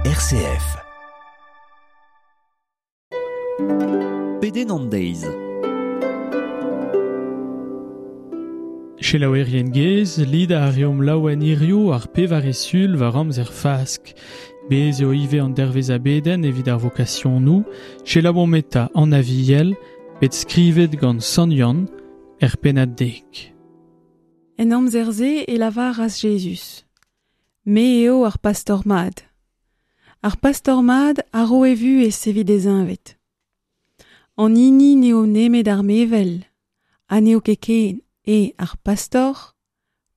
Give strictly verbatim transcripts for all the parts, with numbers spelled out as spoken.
R C F. Pedenn an deiz. Selaouerien gez, lid a reomp laouen hirio ar pevare sul war amzer Fask. Bez eo ivez an dervez a beden evit ar vokasionoù, selaouomp eta an aviel, bet skrivet gant Sant Yann, er pennad dek. En amzer-se e lavaras Jezuz. Me eo ar pastor mad. Ar pastor mad a ro e vuhez evit e zeñved. An hini n'eo nemet ar mevel, ha n'eo ket ken e ar pastor,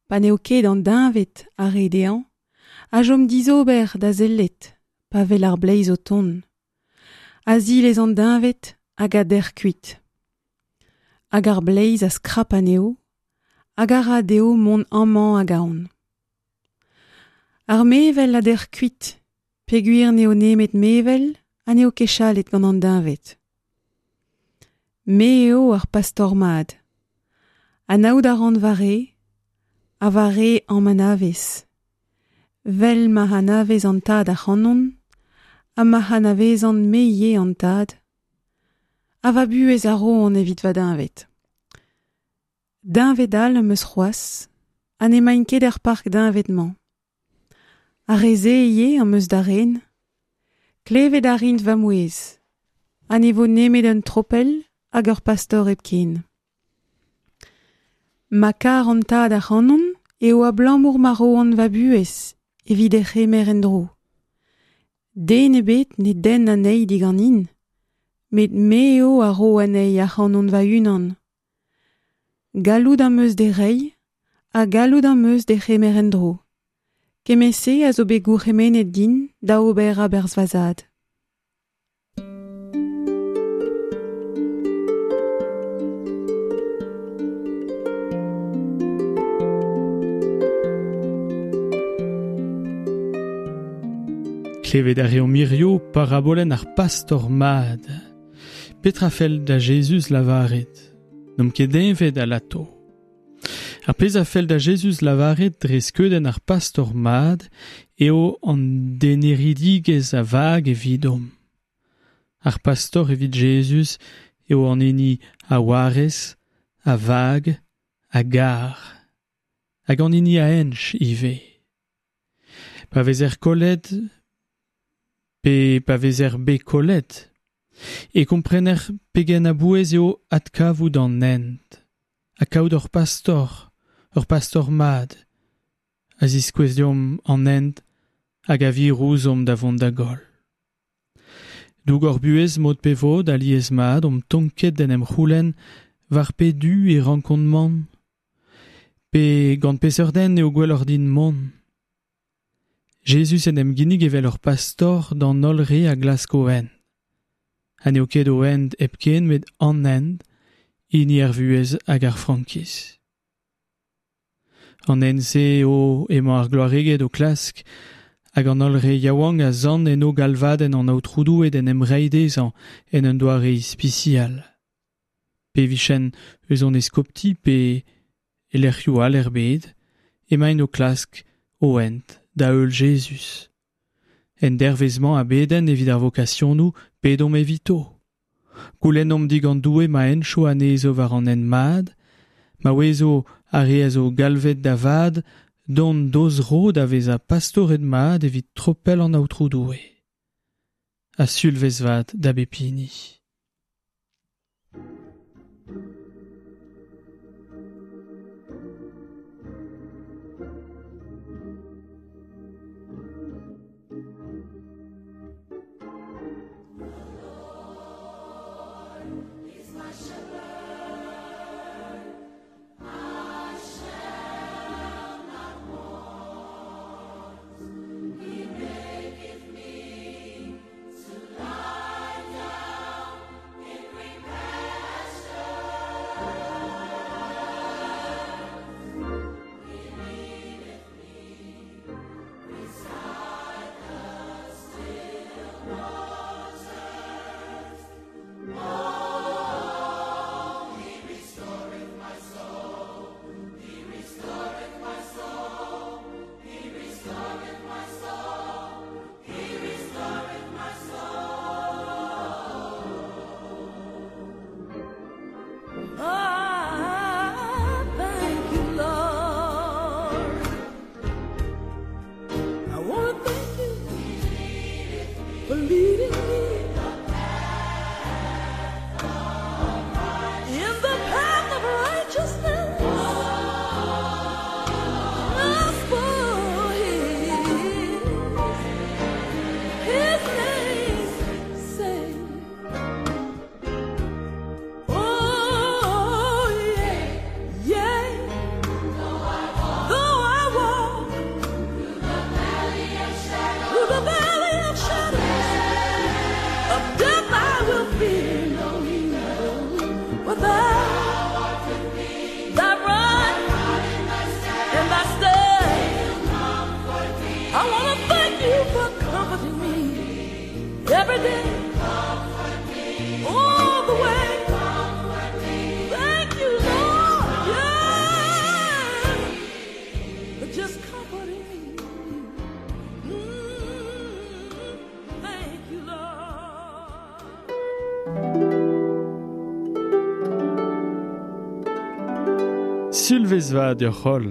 pa n'eo ket an deñved ar re dezhañ, a chom dizober da sellet, pa wel ar bleiz o tont. A zilez an deñved hag a dec'h kuit. Hag ar bleiz a skrap anezho, hag a ra dezho mont amañ hag ahont. Ar mevel a dec'h kuit, peogwir n'eo nemet mevel ha n'eo ket chalet gant an deñved. Me eo ar pastor mad. Anaout a ran va re, ha va re am anavez. Vel ma anavez an tad ac'hanon, ha ma anavezan me ivez an tad, ha va buhez a roan evit va deñved. Deñved all am eus c'hoazh, ha n'emaint ket er park deñved-mañ. Ar re-se ivez am eus da ren, klevet a rint va mouezh, ha ne vo nemet un tropell hag ur pastor hepken. Ma kar an tad ac'hanon eo abalamour ma roan va buhez evit he c'hemer en-dro. Den ebet ne denn anezhi diganin, met me eo a ro anezhi ac'hanon va-unan. Gallout am eus d'he reiñ ha gallout am eus d'he c'hemer en-dro. Kement-se a zo bet gourc'hemennet din da ober a-berzh va zad. Klevet a reomp hirio parabolenn ar pastor mad. Petra fell da Jezuz lavaret? N'omp ket deñved alato. Ar pezh a fell da Jezuz lavaret dre skeudenn ar pastor mad eo an deneridigezh a vag evidomp. Ar pastor evit Jezuz eo an hini a warez, a vag, a gar. Hag an hini a hench ivez. Pa vezer kollet, pe pa vezer bet kollet, e komprener pegen a-bouez eo adkavout an hent, ha kaout ur pastor, ur pastor mad, a ziskouez deomp an hent hag a vir ouzhomp da vont da goll. Doug hor buhez mod pe vod alies mat omp tonket d'en em c'houlenn war pe du e rankont mont, pe gant peseurt den eo gwelloc'h din mont. Jezuz en em ginnig evel ur pastor d'an holl re a glask o hent. Ha n'eo ket o hent hepken met an hent, hini ar vuhez hag ar frankiz. An hent-se eo emañ ar gloareged o klask hag an holl re yaouank a sant eno galvadenn an aotrou Doue d'en em reiñ dezhañ en un doare ispisial. Pe vichen eus an eskopti pe e lec'hioù all er bed, emaint o klask o hent da heul Jezuz. En dervezh-mañ a bedenn evit ar vokasionoù pedomp evito. Goulennomp digant Doue ma hencho anezho war an hent mad, ma ouezo ar re a zo galvet da vad dont d'o zro da vezañ pastored mat evit tropell an aotrou Doue. Ha sulvezh vat da bep hini. He maketh me to lie down for leading me in the path of righteousness. Just for his, his name's sake. Oh, yeah, yeah. Though I walk through the valley of shadows of death, I will fear no evil. For thou, thy rod and thy staff, I wanna thank you for comforting me every day, all the way. Thank you, Lord, yeah, for just comforting me. Mm, thank you, Lord. Sulvezh vat deoc'h holl.